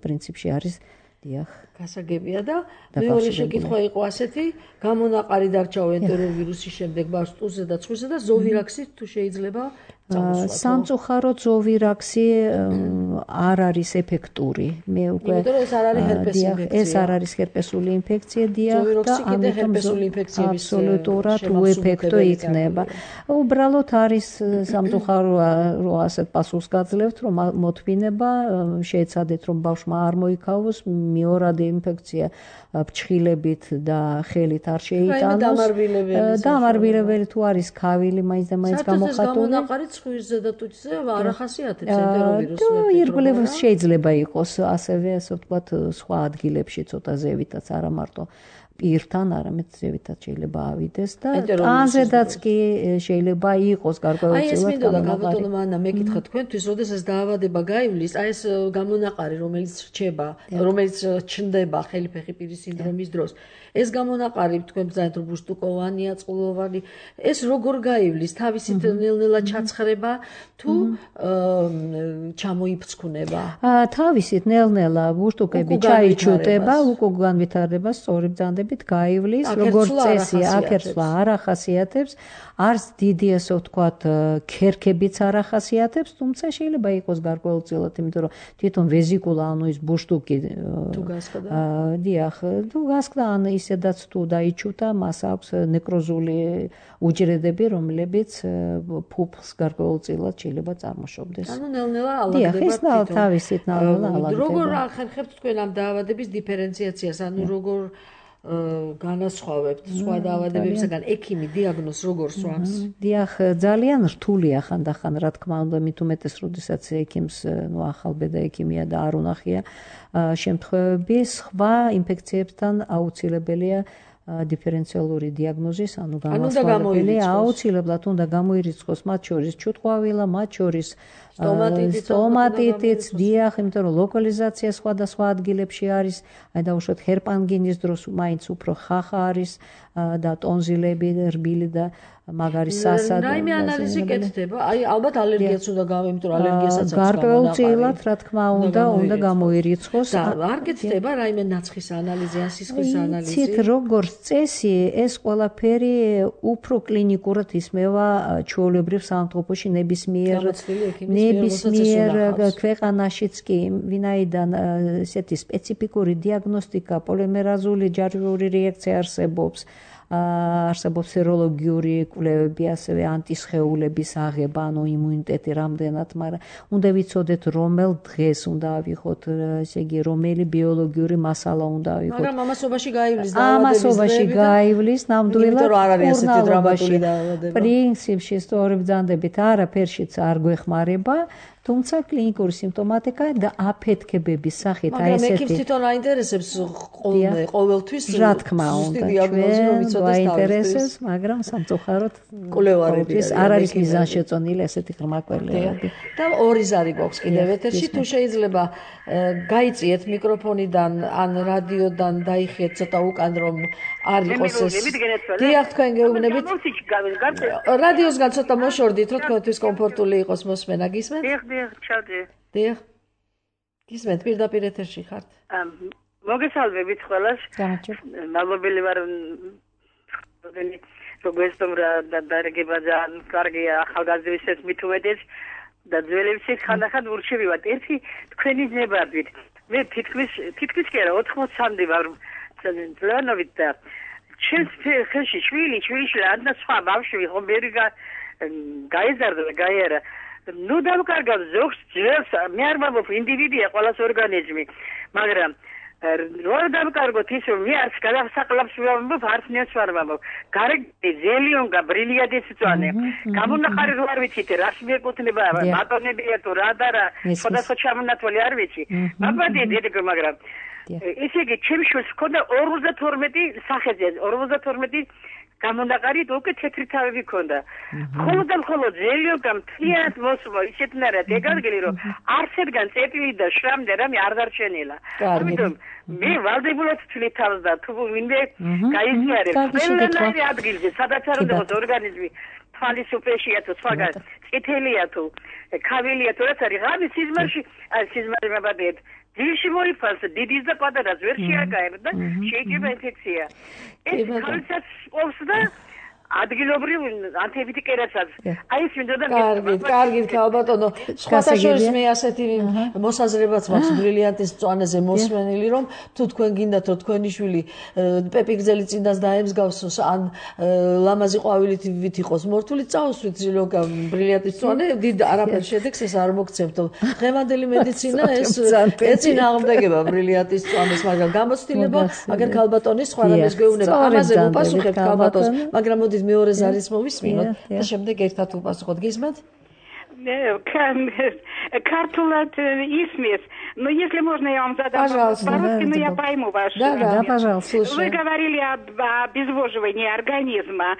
პრინციპში არის. დიახ. გასაგებია და მეორე შეკითხვა იყო ასეთი, გამონაყარი დარჩაო ენტეროვირუსის შემდეგ ბავშვს ტუზზე და ცხვირზე და ზოვირაქსით თუ შეიძლება წამოსვლა. სამწუხაროდ ზოვირაქსი არ არის ეფექტური. მე უკვე ეს არ არის ჰერპესი ინფექცია. ეს არ არის ჰერპესული ინფექცია, დიახ, და ამიტომ ინფექციების აბსოლუტურად უეფექტო იქნება. უბრალოდ არის სამწუხაროა, რომ ასეთ პასუხს გაძლევთ, რომ მოთმინება შეეცადეთ, რომ ბავშვმა არ მოიქავოს მეორადი ინფექცია ფრჩხილებით და ხელით არ შეიტანოს. დამარბილებელი თუ არის ქავილი, მაინც და მაინც გამოხატული. ცხვირზე და ტუჩზე არ ახასიათებს ენტეროვირუსს. ირგვლივ შეიძლება იყოს ასევე, ასე ვთქვათ, სხვა ადგილებში ცოტა ზევითაც, არა მარტო პირთან, არამედ ზევითაც შეიძლება ავიდეს და ტანზედაც კი შეიძლება იყოს გარკვეულწილად. აი ეს მინდოდა ბატონო მარინა, მეკითხა თქვენთვის, როდესაც დაავადება გაივლის, აი ეს გამონაყარი, რომელიც რჩება, რომელიც ჩნდება ხელიფეხი პირის სინდრომის დროს, ეს გამონაყარი თქვენ ბრძანეთ, რომ ბუშტუკოვანია, წყლოვანი, ეს როგორ გაივლის, თავისით ნელ-ნელა ჩაცხრება თუ ჩამოიფრჩქუნება? თავისით ნელ-ნელა ბუშტუკები ჩაიჩუტება, უკუგან ვითარდება სწორი ბრძანდები. დაავადებით გაივლის, როგორც წესი, აკერცვა არ ახასიათებს, არც დიდი ასე ვთქვათ, ქერქებიც არ ახასიათებს, თუმცა შეიძლება იყოს გარკვეულწილად, იმიტომ რომ თვითონ ვეზიკულა, ანუ ის ბუშტუკი თუ გასკდა. დიახ, თუ გასკდა, ან ისედაც თუ დაიჩუთა, მას აქვს ნეკროზული უჯრედები, რომლებიც ფუფლს გარკვეულწილად შეიძლება წარმოშობდეს. ანუ ნელ-ნელა ალაგდება თვითონ. დიახ, ეს თავისით ნელ-ნელა ალაგდება. როგორ ახერხებთ თქვენ ამ დაავადების დიფერენციაციას, ანუ როგორ განასხვავებთ სხვა დაავადებებისგან ექიმი დიაგნოზს როგორ სვამს? დიახ, ძალიან რთულია ხანდახან, რა თქმა უნდა, მით უმეტეს, როდესაც ექიმს, ახალბედა ექიმია და არ უნახია შემთხვევები, სხვა ინფექციებთან აუცილებელია დიფერენციალური დიაგნოზის, ანუ განასხვავებელი აუცილებლად უნდა გამოირიცხოს მათ შორის ჩუტყვავილა, მათ შორის სტომატიტიც, დიახ, იმიტომ რომ ლოკალიზაცია სხვადასხვა ადგილებში არის, აი დაუშვათ ჰერპანგინის დროს მაინც უფრო ხახა არის და ტონზილები, რბილი და მაგარი სასად. რაიმე ანალიზი კეთდება? აი ალბათ ალერგიაც უნდა იმიტომ რომ ალერგიასაც აქვს გარკვეულწილად, რა თქმა უნდა გამოირიცხოს. და არ კეთდება რაიმე ნაცხის ანალიზი, ან სისხლის ანალიზი? იცით, როგორც წესი, ეს ყველაფერი უფრო კლინიკურად ისმევა ჩვეულებრივ სამართლობაში ნებისმიერ ქვეყანაშიც კი, ვინაიდან ესეთი სპეციფიკური დიაგნოსტიკა, პოლიმერაზული ჯარჯვიური რეაქცია არსებობს. არსებობს სეროლოგიური კვლევები, ასევე ანტისხეულების აღება, ანუ იმუნიტეტი რამდენად, მაგრამ უნდა ვიცოდეთ რომელ დღეს უნდა ავიღოთ, ესე იგი რომელი ბიოლოგიური მასალა უნდა ავიღოთ. მაგრამ ამასობაში გაივლის ამასობაში გაივლის ნამდვილად კურნალობაში. პრინციპში სწორებ ბრძანდებით არაფერშიც არ გვეხმარება. თუმცა კლინიკური სიმპტომატიკა და აფეთქებების სახით აი ესეთი. მაგრამ ექიმს თვითონ აინტერესებს ყოველთვის რა თქმა უნდა აინტერესებს, მაგრამ სამწუხაროდ კვლევარები არ არის მიზანშეწონილი ესეთი ღრმა კვლევები. და ორი ზარი გვაქვს კიდევ ეთერში, თუ შეიძლება გაიწიეთ მიკროფონიდან ან რადიოდან დაიხიეთ ცოტა უკან რომ არ იყოს ეს. დიახ, თქვენ გეუბნებით. რადიოსგან ცოტა მოშორდით, რომ თქვენთვის კომფორტული იყოს მოსმენა, გისმენთ? დიახ. გისმენთ, პირდაპირ ეთერში ხართ? მოგესალმებით ყველას. მადლობელი ვარ როგესტომ რა დარგება ძალიან კარგია ახალგაზრდებისთვის მით უმეტეს და ძველებისთვის ხანდახან ურჩევივართ ერთი თქვენი ნებართვით. მე თითქმის კი არა 83-მდე ვარ ძლანობით და ჩემს ხელში შვილი ან და სხვა ბავშვი ხომ ბევრი გაიზარდა და გაიარა. ნუ დავკარგავ ზოგს ძველს მე არ ვამბობ ინდივიდია ყველას ორგანიზმი, მაგრამ რო დავკარგოთ ის რომ მე არც გადასაყლავს ვამბობ, არც ნებს არ ვამბობ. გარეგნი ზელიონგა ბრილიადის წვანე. გამონახარი რო არ ვიცით რას მიეკუთვნება, ბატონებია თუ რა და რა, სხვადასხვა ჩამონათვალი არ ვიცი. მაბადი დედიკო, მაგრამ ესე იგი ჩემს შვილს ჰქონდა 52 სახეზე, 52 გამონაყარი და უკვე თეთრი თავები ჰქონდა. მხოლოდ ზელიოგა მთლიანად მოსულა, ისეთნაირად ეგარგელი რომ არსებგან წეტილი და შრამდე რამე არ დარჩენილა. ამიტომ მე ვალდებულად ვთვლი თავს და თუ ვინმე გაიზიარებს ყველანაირი ადგილზე, სადაც არ უნდა ორგანიზმი თვალის უპეშია თუ სხვაგან წითელია თუ ქავილია თუ რაც არის ღამის სიზმარი მაბადეთ ძილში მოიფალს დიდის და პატარას ვერ შეაგაებ და შეიძლება ინფექცია. ეს ხალხსაც ყოფს და ადგილობრივ ანტიბიოტიკებსაც. აი ეს მინდოდა კარგი ქალბატონო, სხვათა შორის მე ასეთი მოსაზრებაც მაქვს ბრილიანტის მწვანეზე მოსმენილი, რომ თუ თქვენ გინდათ რომ თქვენი შვილი პეპიგზელი წინდას დაემსგავსოს ან ლამაზი ყვავილით იყოს მორთული, წაუსვით ზილოგა ბრილიანტის მწვანე, დიდ არაფერ შედეგს ეს არ მოგცემთ. დღევანდელი მედიცინა ეს ეწინააღმდეგება ბრილიანტის მწვანეს, მაგრამ გამოცდილება აგერ ქალბატონის სხვა რამეს გვეუბნება. ამაზე უპასუხებთ ქალბატონს, მაგრამ მეორე ზარის მოვისმინოთ და შემდეგ ერთად უპასუხოთ. Გისმენთ? Картулат Исмес. Но если можно, я вам задам вопрос по-русски, но я пойму ваш. Да, пожалуйста, слушаю. Вы говорили об обезвоживании организма.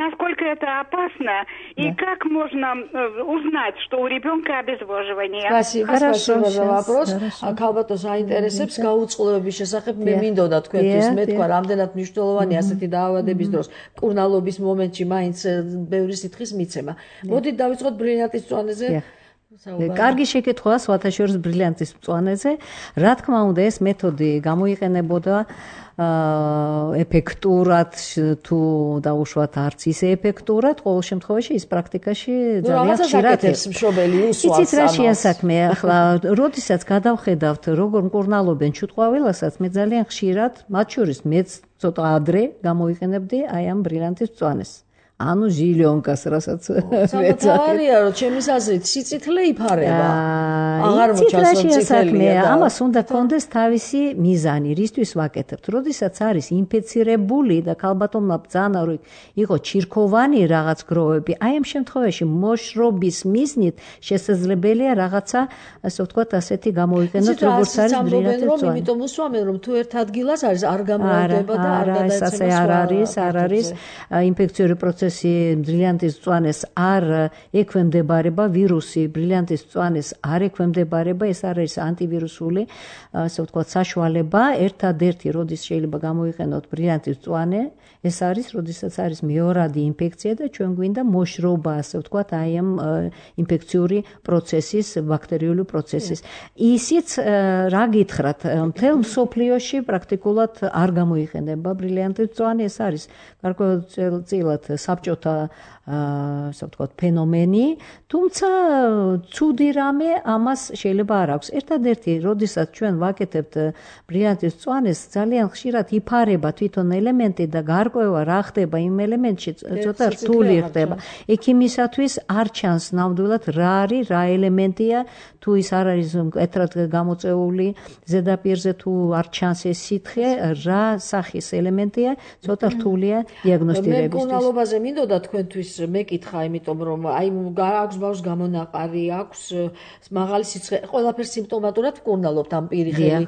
Насколько это опасно и как можно узнать, что у ребенка обезвоживание? Спасибо за вопрос. Ქალბატონს აინტერესებს გაუწყლოების შესახებ მე მინდოდა თქვენთვის მეთქვა რამდენად მნიშვნელოვანია ასეთი დაავადების დროს კურნალობის მომენტში მაინც ბევრი სითხის მიცემა. მოდით დავიწყოთ ბრილიანტის მწვანეზე. კარგი შეკითხვაა სხვათა შორის ბრილიანტის მწვანეზე. რა თქმა უნდა, ეს მეთოდი გამოიყენებოდა ეფექტურად თუ დაუშვათ არც ისე ეფექტურად, ყოველ შემთხვევაში ის პრაქტიკაში ძალიან ხშირად მშობელი უსვამს. იცით რა შეასაქმეა? ახლა როდესაც გადავხედავთ როგორ მკურნალობენ ჩუტყვავილასაც, მე ძალიან ხშირად, მათ შორის მეც ცოტა ადრე გამოიყენებდი აი ამ ბრილიანტის მწვანეს. ანუ ჟილიონკას, რასაც სამთავარია, რომ ჩემის აზრით სიწითლე იფარება. აღარ მოჩანს სიწითლეა. ამას უნდა კონდეს თავისი მიზანი, რისთვის ვაკეთებთ. როდესაც არის ინფიცირებული და ქალბატონმა ბრძანა რომ იყო ჩირქოვანი რაღაც გროვები, აი ამ შემთხვევაში მოშრობის მიზნით შესაძლებელია რაღაცა, ასე ვთქვათ, ასეთი გამოიყენოთ, როგორც არის ბრილიანტის მწვანე. იმიტომ უსვამენ, რომ თუ ერთ ადგილას არის არ გამოვდება და არ გადაეცემა არ არის ინფექციური პროცესი ბრილიანტის მწვანეს არ ექვემდებარება ვირუსი, ბრილიანტის მწვანეს არ ექვემდებარება, ეს არის ანტივირუსული, ასე ვთქვათ, საშუალება. ერთადერთი როდის შეიძლება გამოიყენოთ ბრილიანტის მწვანე, ეს არის, როდესაც არის მეორადი ინფექცია და ჩვენ გვინდა მოშრობა, ასე ვთქვათ, აი ამ ინფექციური პროცესის, ბაქტერიული პროცესის. ისიც რა გითხრათ, მთელ მსოფლიოში პრაქტიკულად არ გამოიყენება ბრილიანტის მწვანე, ეს არის გარკვეულწილად საბჭოთა ასე ვთქვათ ფენომენი, თუმცა ცუდი რამე ამას შეიძლება არ აქვს. ერთადერთი, როდესაც ჩვენ ვაკეთებთ ბრილიანტის მწვანეს, ძალიან ხშირად იფარება თვითონ ელემენტი და გარკვევა რა ხდება იმ ელემენტში, ცოტა რთული ხდება. ექიმისათვის არ ჩანს ნამდვილად რა არის, რა ელემენტია, თუ ის არ არის მკვეთრად გამოწეული ზედაპირზე, თუ არ ჩანს ეს სითხე, რა სახის ელემენტია, ცოტა რთულია დიაგნოსტირებისთვის. მე მკურნალობაზე მინდოდა თქვენთვის მეკითხა, იმიტომ რომ აი აქვს ბავშვს გამონაყარი, აქვს მაღალი სიცხე, ყველაფერს სიმპტომატურად მკურნალობთ ამ პირიხელი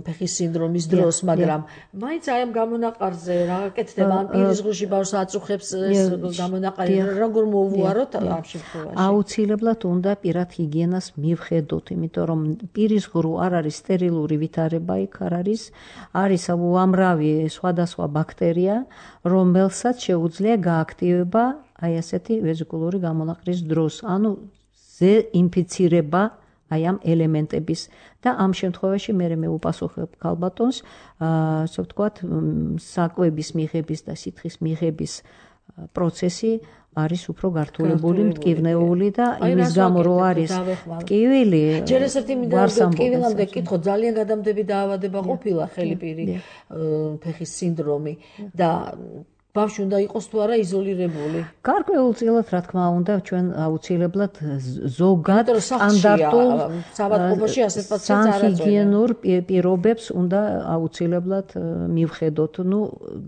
ფეხის სინდრომის დროს, მაგრამ მაინც აი ამ გამონაყარზე რა გაკეთდება, ამ პირის ღრუში ბავშვს აწუხებს ეს გამონაყარი, როგორ მოუვაროთ ამ შემთხვევაში? აუცილებლად უნდა პირად ჰიგიენას მივხედოთ, იმიტომ რომ პირის ღრუ არ არის სტერილური ვითარება, იქ არ არის უამრავი სხვადასხვა ბაქტერია, რომელსაც შეუძლია გააქტივება აი ასეთი ვეზიკულური გამონაყრის დროს, ანუ ინფიცირება აი ამ ელემენტების და ამ შემთხვევაში მე უპასუხებ ქალბატონს, ასე ვთქვათ, საკვების მიღების და სითხის მიღების პროცესი არის უფრო გართულებული, მტკივნეული და იმის გამო რომ არის ტკივილი. ჯერ ესეთი მინდა ტკივილამდე კითხო, ძალიან გადამდები დაავადება ყოფილა ხელიპირი ფეხის სინდრომი და ბავშვი უნდა იყოს თუ არა იზოლირებული. გარკვეულწილად, რა თქმა უნდა, ჩვენ აუცილებლად ზოგად სტანდარტულ საბატყოფოში ასეთ პაციენტს არ სანჰიგიენურ პირობებს უნდა აუცილებლად მივხედოთ. ნუ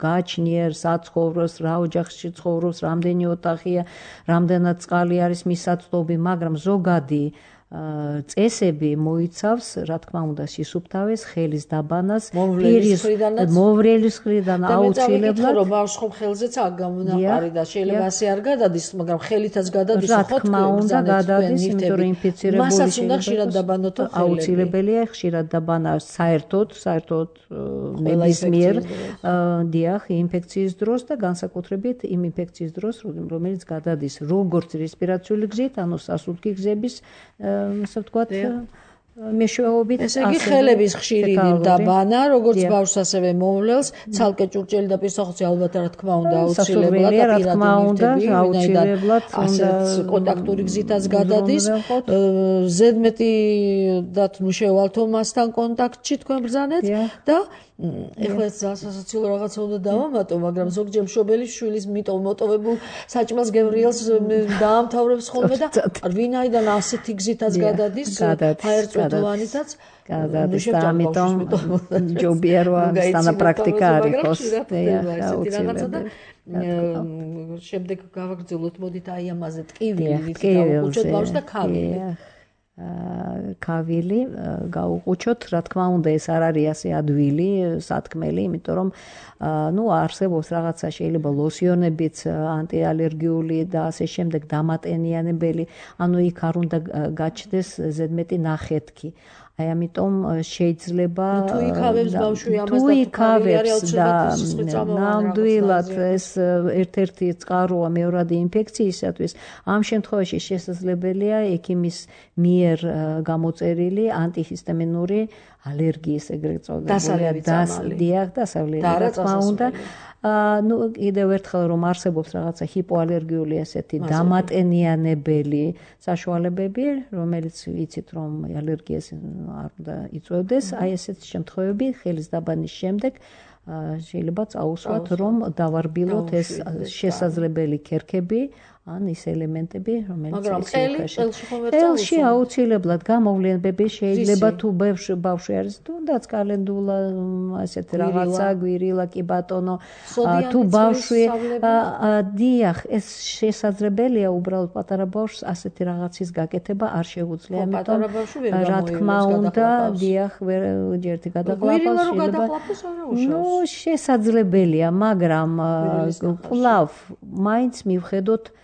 გააჩნიერ საცხოვროს, რა ოჯახში ცხოვრობს, რამდენი ოთახია, რამდენად წყალი არის მის საცდობი, მაგრამ ზოგადი წესები მოიცავს, რა თქმა უნდა, სისუფთავეს, ხელის დაბანას, პირის მოვრელის მხრიდან აუცილებლად. რომ ბავშვს ხომ ხელზეც აქ გამონაყარი და შეიძლება ასე არ გადადის, მაგრამ ხელითაც გადადის, რა თქმა უნდა, გადადის, იმიტომ რომ ინფიცირებული მასაც უნდა ხშირად დაბანოთ ხელები. აუცილებელია ხშირად დაბანა საერთოდ ნებისმიერ დიახ, ინფექციის დროს და განსაკუთრებით იმ ინფექციის დროს, რომელიც გადადის როგორც რესპირაციული გზით, ანუ სასუნთქი გზების ასე ვთქვათ, მეშვეობით. ესე იგი ხელების ხშირი დაბანა, როგორც ბავშვს ასევე მოვლელს, ცალკე ჭურჭელი და პირსახოცი ალბათ რა თქმა უნდა აუცილებლად და აუცილებლად უნდა კონტაქტური გზითაც გადადის. ზედმეტი და თუ შევალთო მასთან კონტაქტში თქვენ ბრძანეთ და ეხლა სასაცილო რაღაცა უნდა დავამატო, მაგრამ ზოგჯერ მშობელი შვილის მოტოვებულ საჭმელს გემრიელს დაამთავრებს ხოლმე და ვინაიდან ასეთი გზითაც გადადის, ფაერწვეთოვანითაც გადადის და ამიტომ ჯობია რომ სტანა პრაქტიკა არ იყოს. შემდეგ გავაგრძელოთ, მოდით აი ამაზე ტკივილი გავუყუჩოთ ბავშვს და ქავილი. ქავილი გაუყუჩოთ, რა თქმა უნდა, ეს არ არის ასე ადვილი, სათქმელი, იმიტომ რომ არსებობს რაღაცა შეიძლება ლოსიონებიც ანტიალერგიული და ასე შემდეგ დამატენიანებელი, ანუ იქ არ უნდა გაჩნდეს ზედმეტი ნახეთქი. აი ამიტომ შეიძლება თუ იქავებს ბავშვი ამას თუ იქავებს და ნამდვილად ეს ერთ-ერთი წყაროა მეორადი ინფექციისათვის ამ შემთხვევაში შესაძლებელია ექიმის მიერ გამოწერილი ანტიჰისტამინური ალერგიის ეგრეთ წოდებული დასავლელი რა თქმა უნდა ну კიდევ ერთხელ რომ არსებობს რაღაცა ჰიპოალერგიული ესეთი დამატენიანებელი საშუალებები რომელიც ვიცით რომ ალერგიას არ უნდა იწვევდეს აი ესეთი შემთხვევები ხელის დაბანის შემდეგ შეიძლება წაუსვათ რომ დავარბილოთ ეს შესაძლებელი ქერქები ან ის ელემენტები რომელიც წელში აუცილებლად გამოვლენები შეიძლება თუ ბავშვი არის თუნდაც კალენდულა ასეთ რაღაცა გვირილა კი ბატონო თუ ბავშვი დიახ ეს შესაძლებელია უბრალოდ პატარა ბავშვს ასეთი რაღაცის გაკეთება არ შეუძლია ამიტომ რა თქმა უნდა დიახ ერთი გადაყლაპავს ну შესაძლებელია მაგრამ კვლავ მაინც მივხედოთ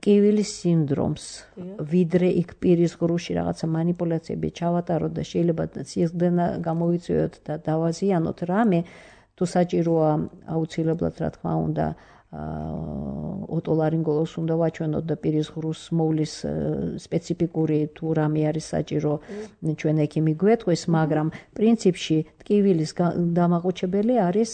ტკივილის სინდრომს ვიდრე იქ პირის ღრუში რაღაცა манипуляციები ჩავატაროთ და შეიძლება სიძდენა გამოვიწვიოთ და დავაზიანოთ რამე თუ საჭიროა აუცილებლად რა თქმა უნდა ოტოლარინგოლოგს უნდა ვაჩვენოთ და პირის ღრუს მოვლის სპეციფიკური თუ რამე არის საჭირო ჩვენ ექიმი გვეტყვის მაგრამ პრინციპში ტკივილის დამაყუჩებელი არის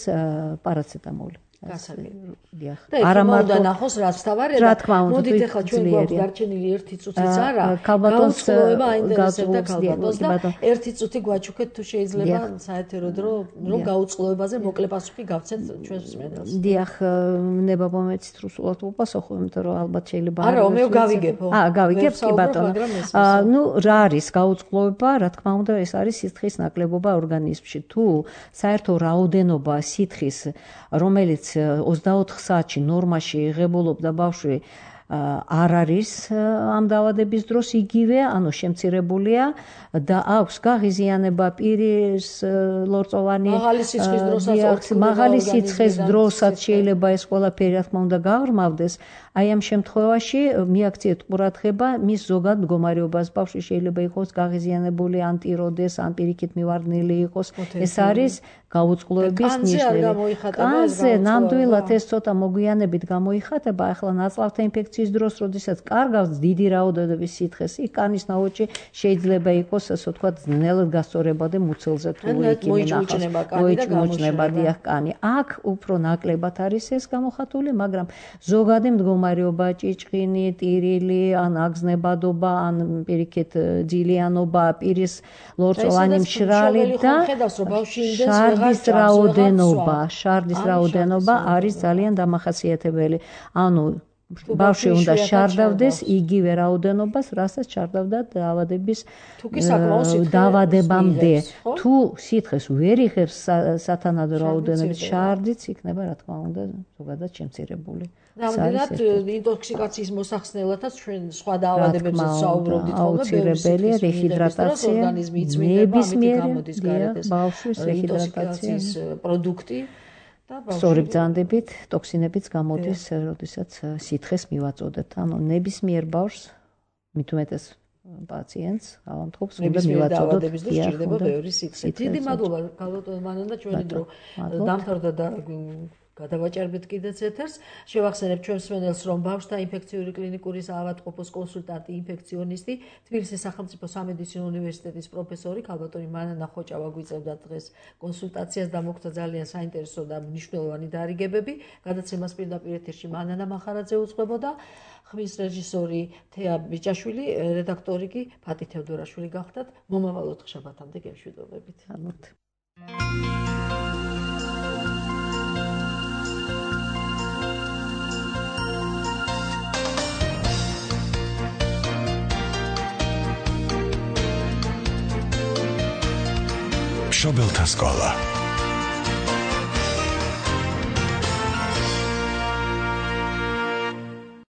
პარაცეტამოლი არა მარტო ნახოს რაც თავარია რა თქმა უნდა მოდით ახლა ჩვენ გვაქვს დარჩენილი 1 წუთიც არა გაუწყლოება აინტერესებდა ქალბატონს და 1 წუთი გვაჩუქეთ თუ შეიძლება საეთერო დრო რომ გაუწყლოებაზე მოკლე პასუხი გავცეთ ჩვენს მსმენელს დიახ ნება მომეცით რუსულად უპასუხო იმიტომ რომ ალბათ შეიძლება არა მე გავიგებო გავიგებ კი ბატონო ну რა არის გაუწყლოება რა თქმა უნდა ეს არის სითხის ნაკლებობა ორგანიზმში თუ საერთო რაოდენობა სითხის რომელიც 24 საათში ნორმაში იღებულობდა ბავშვი არ არის ამ დაავადების დროს იგივე, ანუ შემცირებულია და აქვს გაღიზიანება პირის ლორწოვანი მაღალი სიცხეს დროსაც შეიძლება ეს ყველაფერი რა თქმა უნდა გააღრმავდეს. აი ამ შემთხვევაში მიაქციეთ ყურადღება მის ზოგად მდგომარეობას. ბავშვი შეიძლება იყოს გაღიზიანებული, ან ტიროდეს, ან პირიქით მივარდნილი იყოს. ეს არის გაუწყლოების ნიშნები. კანზე ნამდვილად ეს ცოტა მოგვიანებით გამოიხატება. ახლა ნაწლავთა ინფექციის დროს, როდესაც კარგავს დიდი რაოდენობის სითხეს, იქ კანის ნაოჭი შეიძლება იყოს, ასე ვთქვათ, ძნელად გასწორებადი მუცელზე თუ იქი მოიჭმოჭნება დიახ კანი. აქ უფრო ნაკლებად არის ეს გამოხატული, მაგრამ ზოგადი მდგომარეობა, ჭიჭყინი, ტირილი, ან აგზნებადობა, ან პირიქით ძილიანობა, პირის ლორწოვანი მშრალი და შარდის რაოდენობა არის ძალიან დამახასიათებელი. ანუ ბავშვი უნდა შარდავდეს იგივე რაოდენობას, რასაც შარდავდა დაავადების დაავადებამდე. თუ სითხეს ვერ იღებს სათანადო რაოდენობით შარდიც იქნება, რა თქმა უნდა, ზოგადად შემცირებული. ნამდვილად ინტოქსიკაციის მოსახსნელათაც ჩვენ სხვა დაავადებებზე საუბრობდით ხოლმე, აუცილებელია რეჰიდრატაცია, ორგანიზმი იწმინდება, ამიტომ გამოდის გარეთ ეს ბავშვის რეჰიდრატაციის პროდუქტი. სწორი ბრძანდებით, ტოქსინებიც გამოდის, როდესაც სითხეს მივაწოდეთ. ანუ ნებისმიერ ბავშვს, მით უმეტეს პაციენტს, ავამთხოვს, უნდა მივაწოდოთ და სჭირდება ბევრი სითხე. დიდი მადლობა ქალბატონ მანანა, ჩვენი დრო დამთავრდა და გადავაჭერბეთ კიდეც ეთერს. შევახსენებ ჩვენს მსმენელს, რომ ბავშვთა ინფექციური კლინიკური საავადმყოფოს კონსულტანტი, ინფექციონისტი, თბილისის სახელმწიფო სამედიცინო უნივერსიტეტის პროფესორი ქალბატონი მანანა ხოჭავა გვიწევდა დღეს კონსულტაციას და მოგვცა ძალიან საინტერესო და მნიშვნელოვანი დარიგებები. გადაცემას პირდაპირ ეთერში მანანა მახარაძე უძღვებოდა, ხმის რეჟისორი თეა ბიჭაშვილი, რედაქტორი კი ფატი თევდორაშვილი გახდათ. მომავალ ოთხშაბათამდე გემშვიდობებით. მშობელთა სკოლა